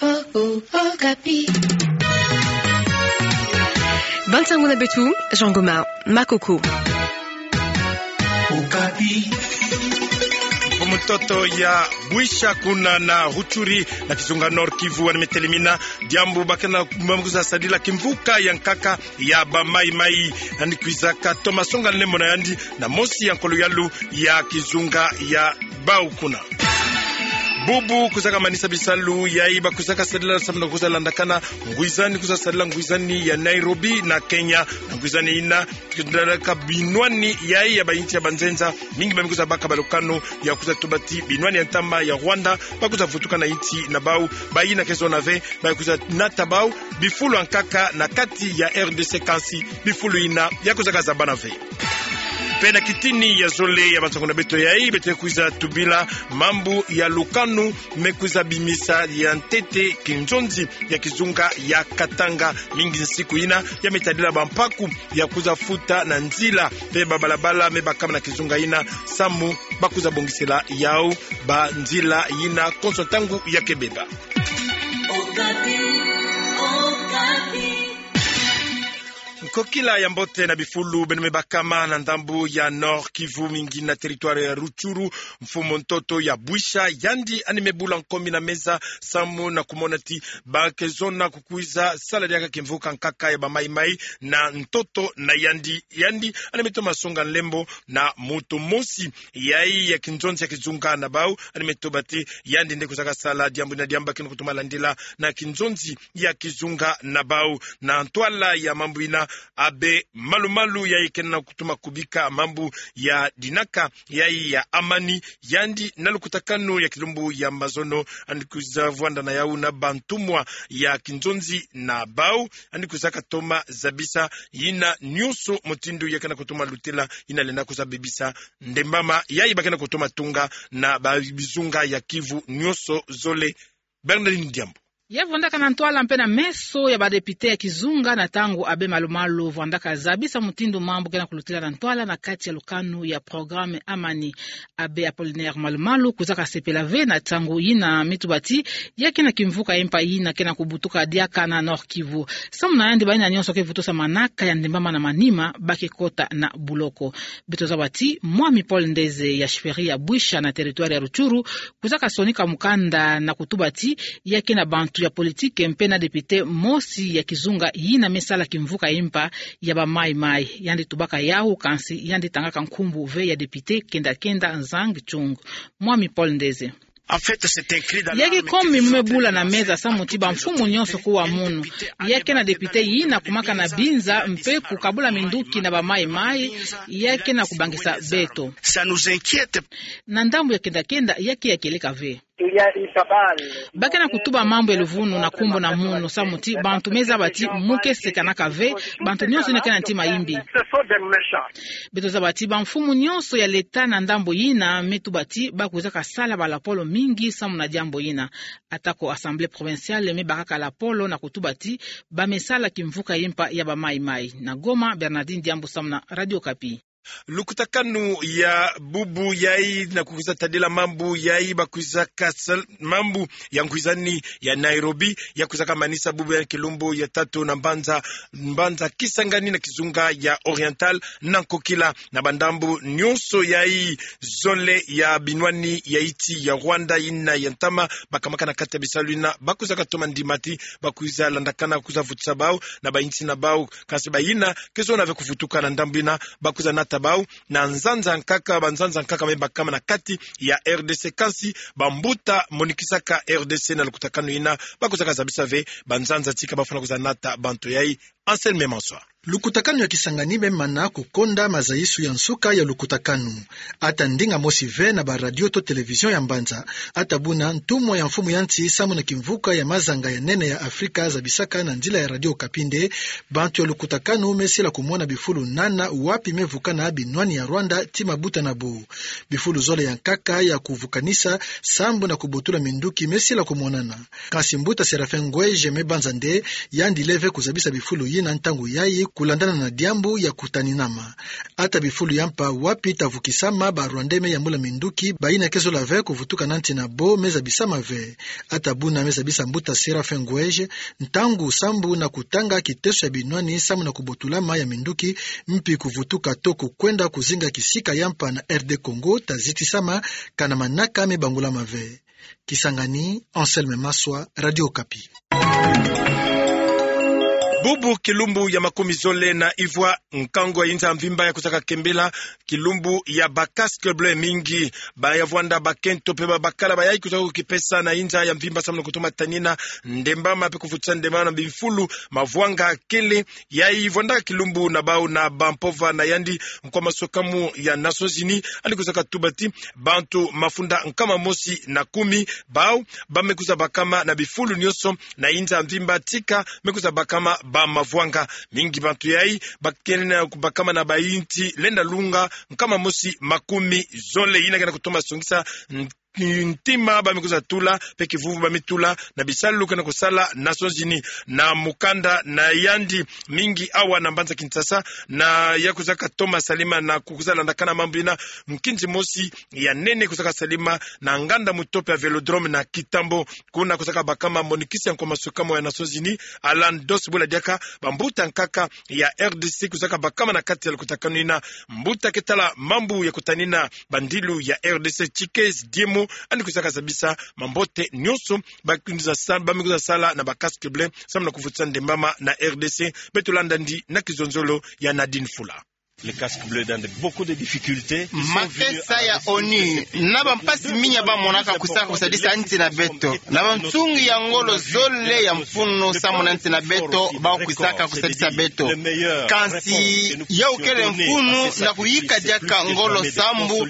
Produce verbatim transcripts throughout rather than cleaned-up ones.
Oh, oh, Okapi. Bansango na beto, Jean Goma, Makoko. Okapi. Mfumu ntoto ya Bwisha kuna na Rutshuri na kizunga Nord-Kivu, yandi me telemina diambu bakena mambu ya kwiza sadila kimvuka ya nkaka ya ba Mai Mai, yandi kwizaka toma songa nlembo na yandi na mosi ya nkolo yalu ya kizunga ya bau kuna. Bubu kwizaka manisa bisalu yayi ba kwizaka sadila samu na kwiza landakana ngwizani, kwiza sadila ngwizani ya Nairobi na Kenya, na ngwizani yina kwiza landakana binwani yayi ya ba insi ya banzenza mingi, ba me kwiza baka balukanu ya kwiza tuba ti binwani ya ntama ya Rwanda ba kwiza vutuka na insi na bau, bayina ke zona ve ba kwiza nata bau bifulu ya nkaka na kati ya R D C, kansi bifulu yina ya kwizaka zabana ve. Mpe na kitini ya zole ya bansango na beto yayi, beto kwiza tubila mambu ya lukanu me kwiza bimisa ya ntete kinzonzi ya kizunga ya Katanga. Mingi nsiku yina ya me tadila bampaku ya kwiza futa na nzila mpe babalabala me bakama na kizunga yina, samu ba kwiza bongisela yau banzila yina konso ntangu ya kebeba. Okapi, Okapi. Nkokila ya mbote na bifulu beno me bakama na ndambu ya Nord-Kivu, mingi na territoire ya Rutshuru. Mfumu ntoto ya Bwisha, yandi yandi me bula nkomi na meza samu na kumona ti ba ke zona kukwiza sala diaka kimvuka nkaka ya ba Mai Mai na ntoto na yandi. Yandi yandi me toma songa nlembo na mutu mosi yayi ya kinzonzi ya kizunga na bau, yandi me tuba ti yandi nde kwizaka sala diambu yina, diambu ba kena kutoma landila na kinzonzi ya kizunga na bau. Na ntwala ya mambu yina, Abbé Malu Malu, yayi kena kutoma kubika mambu ya dinaka yayi ya amani, yandi na lukutakanu ya kilumbu ya mazono, yandi kwiza vwanda na yau na bantumwa ya kinzonzi na bau, yandi kwizaka toma zabisa yina nyonso mutindu ya kena kutoma lutila yina lenda kwiza bebisa ndembama yayi ba kena kutoma tunga na ba bizunga ya Kivu nyonso zole. Bernardine Diambu. Ya vwandaka na ntwala mpe na meso ya ba député ya kizunga na ntangu Abbé Malu Malu vwandaka zabisa mutindu mambu kena kulutila na ntwala na kati ya lukanu ya programme Amani. Abbé Apollinaire Malu Malu kwizaka sepela ve na ntangu yina me tuba ti ya kena kimvuka ya mpa yina kena kubutuka diaka na Nord-Kivu. Samu na yandi, bayina nyonso ke vutusa manaka ya ndembama na manima ba ke kota na buloko. Beto zaba ti Mwami Paul Ndeze ya chefferie ya Bwisha na territoire ya Rutshuru kwizaka sonika mukanda na kutuba ti ya kena bantu ya politique mpe na député mosi ya kizunga yina me sala kimvuka ya mpa ya ba Mai Mai. Yandi tubaka yau, kansi yandi tangaka nkumbu ve ya député kenda kenda Zhang Chun. Mwami Paul Ndeze. Ya ke komi mu me bula na meza samu ti bamfumu nyonso kuwa munu. Ya kena député yina kumaka na binza mpe kukabula minduki na ba Mai Mai, ya kena kubangisa beto. Na ndambu ya kenda kenda, ya ke ya kieleka ve. Ba kena kutuba mambu ya luvunu na nkumbu na munu samu ti bantu me zaba ti mu ke sekanaka ve, bantu nyonso yina ke na ntima yimbi. Beto zaba ti bamfumu nyonso ya leta na ndambu yina me tuba ti ba kwizaka sala balapolo mingi samu na diambu yina. Ata ko Assemblée provinciale me bakaka lapolo na kutuba ti ba me sala kimvuka ya mpa ya ba Mai Mai. Na Goma, Bernardine Diambu samu na Radio Okapi. Lukutakanu ya bubu yayi na kukwiza tadila mambu yayi ba kwizaka sal-, mambu ya ngwizani ya Nairobi, ya kwizaka manisa bubu ya kilumbu ya tatu na mbanza, mbanza Kisangani na kizunga ya Oriental, na nkokila na bandambu nyonso yayi zole ya binwani ya insi ya Rwanda yina ya ntama, ba kamaka na kati ya bisalu yina, ba kwizaka toma ndima ti ba kwiza landakana kwiza vutusa bau na ba insi na bau. Kansi bayina ke zona ve kuvutuka na ndambu yina, ba kwiza nata bau na nzanza nkaka, banzanza nkaka me bakama na kati ya R D C, kansi bambuta monikisaka R D C na lukutakanu yina, ba kwizaka zabisa ve banzanza tika ba fwana kwiza nata bantu yayi. Anselme Mansoir. Lukutakanu ya Kisangani me mana kukonda mazayisu ya nsuka ya lukutakanu. Ata ndinga mosi ve na ba radio to télévision ya mbanza, ata buna ntumwa ya mfumu ya nsi samu na kimvuka ya mazanga ya nene ya Afrika zabisaka na nzila ya Radio Okapi nde, bantu ya lukutakanu me sila kumona bifulu nana wapi me vukana binwani ya Rwanda ti mabuta na bo. Bifulu zole ya nkaka ya kuvukanisa sambu na kubotula minduki me sila kumonana. Kansi mbuta Séraphin Ngweje me banza nde, yandi leve kuzabisa bifulu yina ntangu yayi kulandana na diambu ya kutaninama. Ata bifulu ya mpa wapi ta vukisama, ba Rwandais me yambula minduki, bayina ke zola ve kuvutuka na nti na bo me zabisama ve. Ata buna me zabisa mbuta Séraphin Ngoueje, ntangu sambu na kutanga kiteso ya binwani samu na kubotulama ya minduki, mpi kuvutuka to kukwenda kuzinga kisika ya mpa na R D Congo ta zitisama, kana manaka me bangulama ve. Kisangani, Anselme Maswa, Radio Okapi. Bubu kilumbu ya makumi zole na ivwa, nkangu ya inza mvimba ya kuzaka kembela kilumbu ya ba casques bleus mingi. Ba ya vwanda bakento mpe ba bakala bayayi kuzaka kukipesa na inza ya mvimba samu na kutoma tanina ndembama mpe kuvutisa ndembama na bimfulu mavwanga kele. Yayi vwandaka kilumbu na bau na bampova na yandi nkwa masukamu ya Nations Unies, yandi kuzaka tuba ti bantu mafunda nkama mosi na kumi bau ba me kuza bakama na bifulu nyonso na inza mvimba, tika me kuza bakama ba mavwanga. Mingi bantu yayi ba kena kubakama na bayinti lenda lunga nkama mosi makumi zole. Yina kena kutoma songisa n-, ntima ba me kuza tula mpe kivuvu ba me tula na bisalu kena kusala Nations Unies. Na mukanda na yandi, mingi awa na mbanza Kinshasa, na ya kuzaka toma salima na kukuza landakana mambu yina, nkinzi mosi ya nene kuzaka salima na nganda mutope ya Vélodrome na Kintambo. Kuna kuzaka bakama monikisi ya nkwa masukamu ya Nations Unies, Alan Doss, bula diaka bambuta nkaka ya R D C kuzaka bakama na kati ya lukutakanu yina. Mbuta ke tala mambu ya kutanina bandilu ya R D C, Tchikez Diemo, yandi kuzaka zabisa mambote nyonso ba kuza sa-, ba me kuza sala na ba casques bleus samu na kuvutisa ndembama na R D C. Beto landa yandi na kizonzolo ya Nadine Fula. Les casques bleus dans de, beaucoup de difficultés. Makesa ya ONU na bampasi minya ba monaka kuzaka kusadisa nti na beto. Na bansungi ya ngolo zole ya mfunu samu na nti na beto, bau kuzaka kusadisa beto. Kansi yau kele mfunu na kuyika diaka ngolo sambu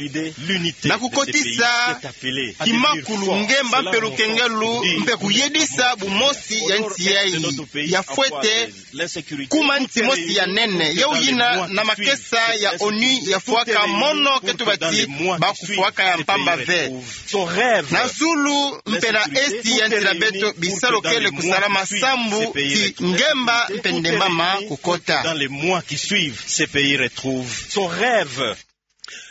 na kukotisa kimakulu, ngemba mpe lukengelu mpe kuyedisa bumosi ya nti yayi. Ya fwete kuma nti mosi ya nene. Yau yina na makesa ya ONU ya fwaka mono ke tuba ti ba kufwaka ya mpamba ve. Na zulu mpe na esti ya nti na beto, bisalu kele kusalama sambu ti ngemba mpe ndembama kukota. Dans les mois qui suivent, ce pays retrouve son rêve.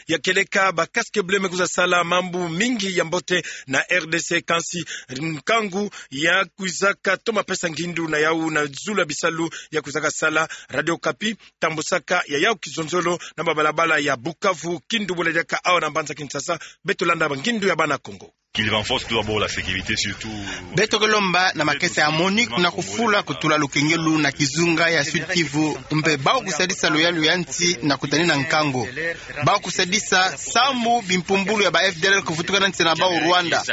Ya kieleka, ba casques bleus me kuza sala mambu mingi ya mbote na R D C, kansi nkangu ya kuzaka toma pesa ngindu na yau na zulu ya bisalu ya kuzaka sala. Radio Okapi tambusaka ya yau kizonzolo na mabalabala ya Bukavu, Kindu, bula diaka awa na mbanza Kinshasa. Beto landa bangindu ya bana Kongo. Qu'il renforce tout d'abord la sécurité, surtout. Beto ke lomba na makesa ya MONUC na kufula kutula lukengelu na kizunga ya Sud-Kivu, mpe bau kusadisa luyalu ya nti na kutanina nkangu. Bau kusadisa sambu bimpumbulu ya ba F D L L kuvutuka na nti na bau Rwanda.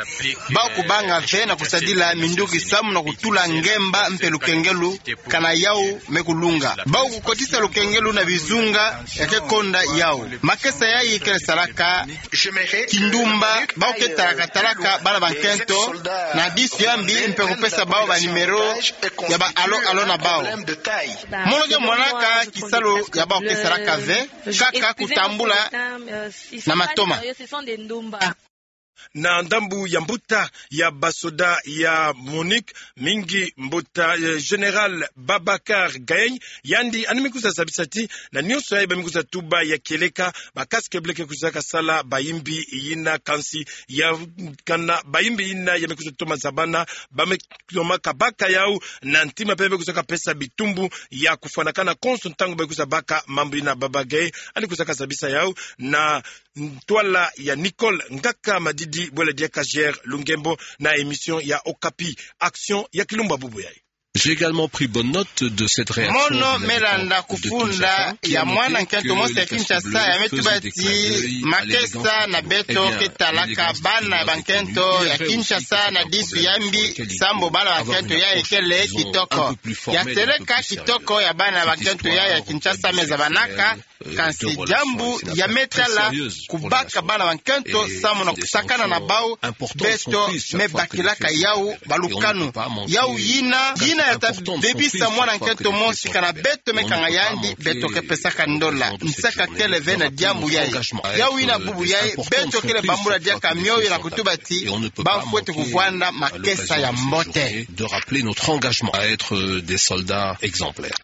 Bau kubanga ve na kusadila minduki samu na kutula ngemba mpe lukengelu kana yau me kulunga. Bau kukotisa lukengelu na bizunga ya ke konda yau. Makesa yayi kele salaka kindumba, bau ke talaka talaka bana bankento na disu ya mbi mpe kupesa bau ba numéro ya ba allo allo na bau. Mono ke monaka kisalu ya bau ke salaka ve, kaka kutambula na matoma. Na ndambu ya mbuta ya basoda ya MONUC, mingi mbuta, eh, Général Babacar Gaye, yandi yandi me kuza zabisa ti na nyonso yayi ba me kuza tuba ya kieleka, ba casques bleus ke kuzaka sala bayimbi yina, kansi ya kana bayimbi yina ya me kuza toma zabana, ba me toma kabaka yau na ntima mpe me kuzaka pesa bitumbu ya kufwanakana konso ntangu ba kuza baka mambu yina. Babacar Gaye yandi kuzaka zabisa yau na ntwala ya Nicole Ngaka Madidi, bwela diaka Gérard Lungembo na émission ya Okapi. Action ya kilumbu bubu yayi. J'ai également pris bonne note de cette réaction. Mono me landa kufunda ya mwana nkento mosi ya Kinshasa ya me tuba ti makesa na beto ke talaka bana bankento ya Kinshasa na disu ya mbi, sambu bana bankento yayi kele kitoko. Ya seleka kitoko ya bana bankento yayi ya Kinshasa me zabanaka, kansi diambu ya me tala kubaka bana bankento samu na kusakana na bau, beto me bakilaka yau balukanu. Yau yina, yina ya ta debisa mwana nkento mosi kana beto me kanga yandi, beto ke pesaka ndola. Nsaka kele ve na diambu yayi. Yau yina bubu yayi, beto kele bambula diaka mioyo na kutuba ti ba fwete kuvwanda makesa ya mbote. De rappeler notre engagement à être des soldats exemplaires.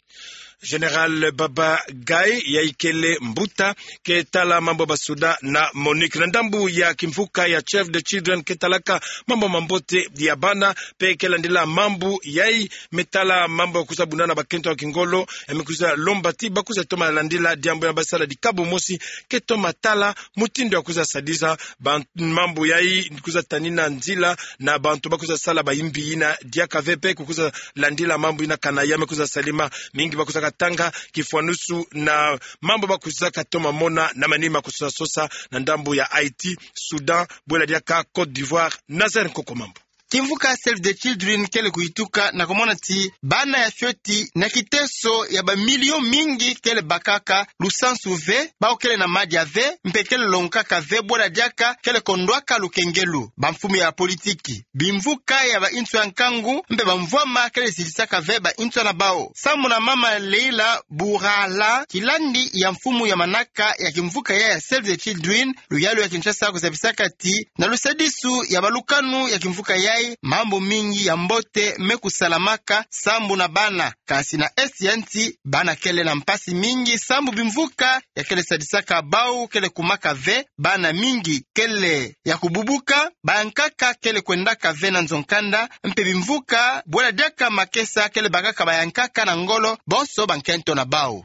Général Baba Gaye, yai kele mbuta ke tala mambu ya basoda na MONUC. Na ndambu ya kimvuka ya Save the Children ke talaka mambu mambote ya bana, pe ke landila mambu yai me tala mambu ya kwiza buna na bakento ya kingolo, e me kwiza lomba ti bakwiza toma landila diambu ya basala dikabu mosi, ke toma tala mutindu ya kwiza sadisa ba mambu yai, kwiza tanina nzila na bantu bakwiza sala bayimbi yina diaka ve, pe kukwiza landila mambu yina kana ya me kwiza salama. Mingi bakwiza katanga kifwanusu na mambu bakwiza katoma mona na manima kwiza sosa na ndambu ya Haïti, Soudan, bwela diaka Côte d'Ivoire. Nazaire Nkoko Mambu. Kimvuka Save the Children kele kuyituka na kumona ti bana ya fioti na kiteso ya bamilio mingi kele bakaka lusansu ve, bawu kele na madia ve, mpe kele longokaka ve, bwela diaka kele kondwaka lukengelu. Bamfumu ya politiki, bimvuka ya bansoni ya nkangu, mpe bamvwama kele zidisaka ve bansoni ya bawu. Sambu na mama Leila Bourala, kilandi ya mfumu ya manaka ya kimvuka ya, ya Save the Children, luyalu ya Kinshasa kuzabisaka ti na lusadisu ya balukanu ya kimvuka yai, mambu mingi ya mbote me kusalamaka sambu na bana. Kasi na esti ya nsi, bana kele na mpasi mingi sambu bimvuka ya kele sadisaka bawu kele kumaka ve, bana mingi kele ya kububuka, bayankaka kele kwendaka ve na nzo-nkanda, mpe bimvuka bwela diaka makesa kele bakaka bayankaka na ngolo, bonso bankento na bawu.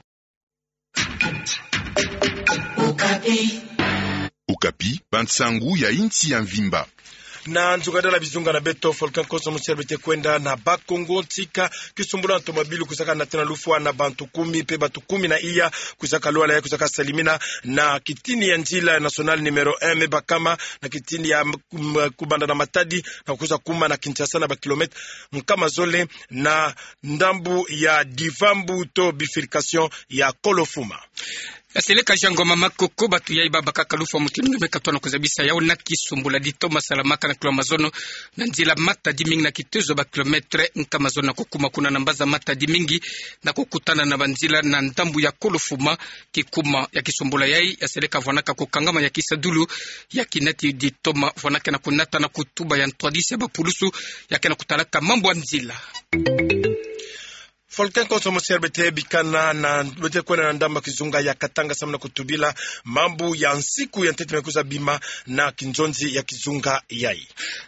Okapi, bansangu ya insi ya mvimba. Na nzungadala bizunga na beto, volcan Konso Musi ya Bete kwenda na Bas-Congo, ntika kisumbulu ya ntomabilu kuzaka nata na lufwa na bantu kumi, mpe bantu kumi na iya kuzaka lwala, ya kuzaka salimina na kitini ya nzila national numéro un, me bakama na kitini ya, mm, kubanda na Matadi na kwiza kuma na Kinshasa na bakilomètre nkama zole na ndambu ya Divambu to bifurcation ya Kolofuma. Ya seleka Jean Ngoma Makoko, bantu yai babakaka lufwa mutindu nge me katona kuzabisa yawu na kisumbulu ditoma salamaka na kilomètre mazono na nzila Matadi, mingi na kitezo bakilomètre nkama zono na kukuma kuna na mbaza Matadi, mingi na kukutana na banzila na ndambu ya Kolofuma. Kikuma ya kisumbulu yai, ya seleka vwanaka kukangama ya kisadulu ya kinati ditoma vwanaka na kunata na kutuba ya ntwadisi ya bapulusu ya ke na kutalaka mambu ya nzila. Volcan Konso Musi ya Bete bikana na, bete kwenda na ndambu ya kizunga ya Katanga samu na kutubila mambu ya nsiku ya ntete me kwiza bima na kinzonzi ya kizunga yai.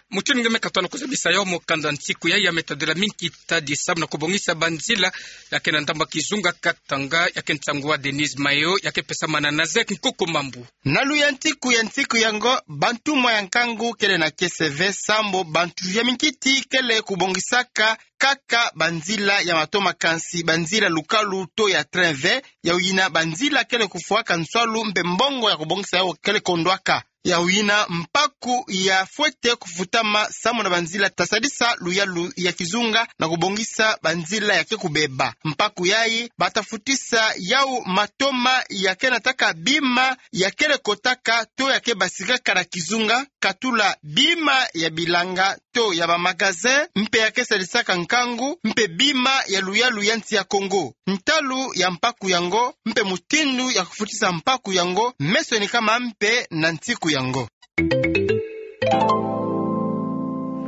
Mutindu nge me katona kuzabisa yawu, mukanda nsiku yai ya me tadila mingi tadi samu na kubongisa banzila ya ke na ndambu ya kizunga Katanga, ya ke nsangu wa Denise Mayo, ya ke pesama na Nazaire Nkoko Mambu. Na luyantiku ya nsiku yango, bantumwa ya nkangu kele na kiese ve sambu bantu ya minkiti kele kubongisaka kaka banzila ya matoma, kansi banzila lukalu to ya train ve, yawu yina banzila kele kufwaka nswalu mpe mbongo ya kubongisa yawu kele kondwaka. Yawu yina mpaku ya fwete kufutama samu na banzila ta sadisa luyalu ya kizunga na kubongisa banzila ya ke kubeba. Mpaku yai bata futisa yawu matoma ya ke nataka bima ya kele kotaka to ya ke basikaka na kizunga, katula bima ya bilanga to ya bamagasin, mpe ya ke sadisaka nkangu, mpe bima ya luyalu ya nsi ya Kongo. Ntalu ya mpaku yango mpe mutindu ya kufutisa mpaku yango me sonikama mpe na nsiku yango.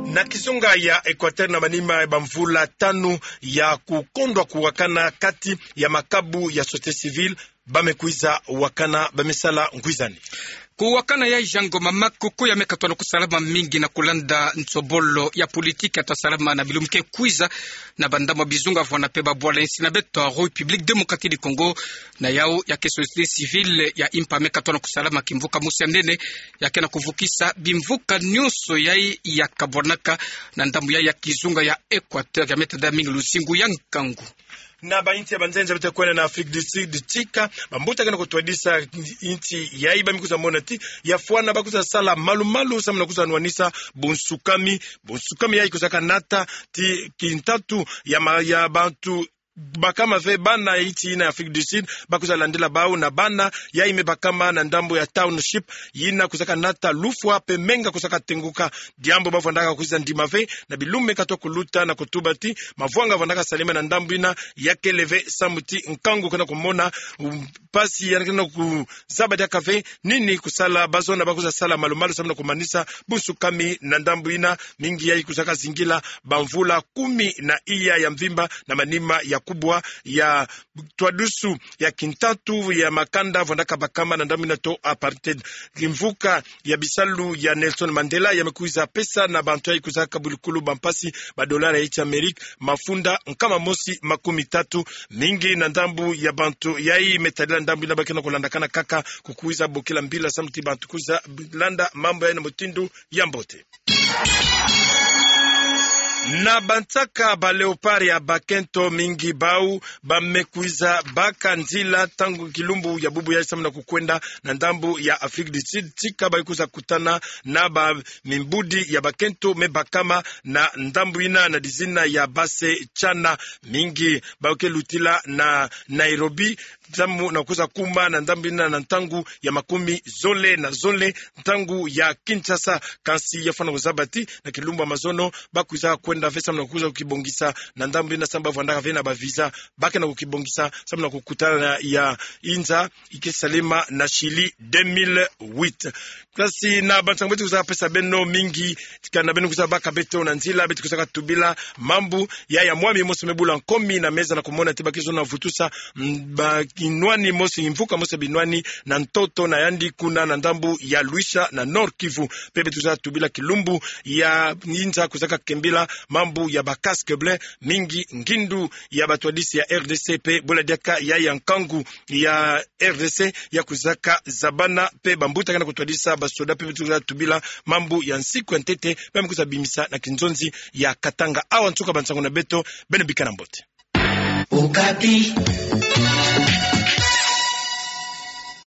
Na kizunga ya Equateur, na manima ya bamvula tanu ya kukondwa kuwakana kati ya makabu ya société civile, ba me kwiza wakana, ba me sala ngwizani. Kuwakana ya Jean Ngoma Makoko ya me katona kusalama mingi na kulanda nsobolo ya politiki ya ta salama na bilumbu ke kwiza na bandambu ya bizunga vwana mpe babwala insi na beto ya République Démocratique du Congo. Na yawu ya ke société civile ya impa me katona kusalama kimvuka mosi ya nene ya ke na kuvukisa bimvuka nyonso yai ya kabwanaka na ndambu yai ya kizunga ya Equateur ya me tadila mingi luzingu ya nkangu. Na bainsi ya banzenza beto kwenda na Afrique du Sud, tika bambuta ke na kutwadisa insi yai, ba me kwiza mona ti ya fwana ba kwiza sala malu-malu samu na kwiza nwanisa bunsukami. Bunsukami yai kwizaka nata ti kintatu ya ma-, ya bantu bakama ve, bana insi yina ya Afrique du Sud, ba kwiza landila bawu na bana yai me bakama na ndambu ya township, yina kwizaka nata lufwa mpe menga kwizaka tenguka. Diambu ba vwandaka kwiza ndima ve na bilumbu me katoka kuluta, na kutuba ti mavwanga vwandaka salama na ndambu yina ya kele ve samu ti nkangu ke na kumona, um, mpasi ya ke na kuzaba diaka ve nini kusala. Ba zona ba kwiza sala malu-malu samu na kumanisa bunsukami na ndambu yina, mingi yai kwizaka zingila bamvula kumi na iya ya mvimba na manima ya kubwa ya twadusu ya kintatu ya makanda vwandaka bakama na ndambu ina to apartheid. Kimvuka ya bisalu ya Nelson Mandela ya me kwiza pesa na bantu yayi kwizaka bulukulu bampasi ba dollar ya insi ya Amerika mafunda nkama mosi makumi tatu. Mingi na ndambu ya bantu yayi me tadila ndambu ina ba ke na kulandakana kaka, kukwiza bokila mbila samu ti bantu kwiza landa mambu yayi na mutindu ya mbote. Na bansaka ba Léopards ya bakento, mingi bau ba me kwiza baka nzila ntangu kilumbu ya bubu yayi samu na kukwenda na ndambu ya Afrique du Sud, tika ba kwiza kutana na ba mimbudi ya bakento me bakama na ndambu ina na dizina ya Base Chana. Mingi ba ke lutila na Nairobi samu na kwiza kuma na ndambu ina na ntangu ya makumi zole na zole ntangu ya Kinshasa. Kansi ya fwana kuzaba ti na kilumbu ya mazono ba kwiza kwenda ve samu na kwiza kibongisa na ndambu ina samu ba vwandaka ve na ba visa, ba ke na kukibongisa samu na kukutana ya inza ike salema na Chili deux mille huit. Kansi na bansangu beto kwiza pesa beno mingi, kana beno kwiza baka beto na nzila, beto kwiza katubila mambu ya, ya mwami mosi me bula nkomi na meza na kumona ti ba ke zona vutusa, mm, ba binwani mosi, mvuka mosi binwani na ntoto na yandi kuna na ndambu ya Luisha na Nord-Kivu. Pe beto kwiza tubila kilumbu ya inza kwizaka kembila mambu ya ba casques bleus, mingi ngindu ya batwadisi ya R D C pe bula diaka ya, ya nkangu ya R D C ya kwizaka zabana, pe bambuta ke na kutwadisa basoda, pe beto kwiza tubila mambu ya nsiku ya ntete ba me kwiza bimisa na kinzonzi ya Katanga. Awa nsuka bansangu na beto, beno bikana mbote. Okapi.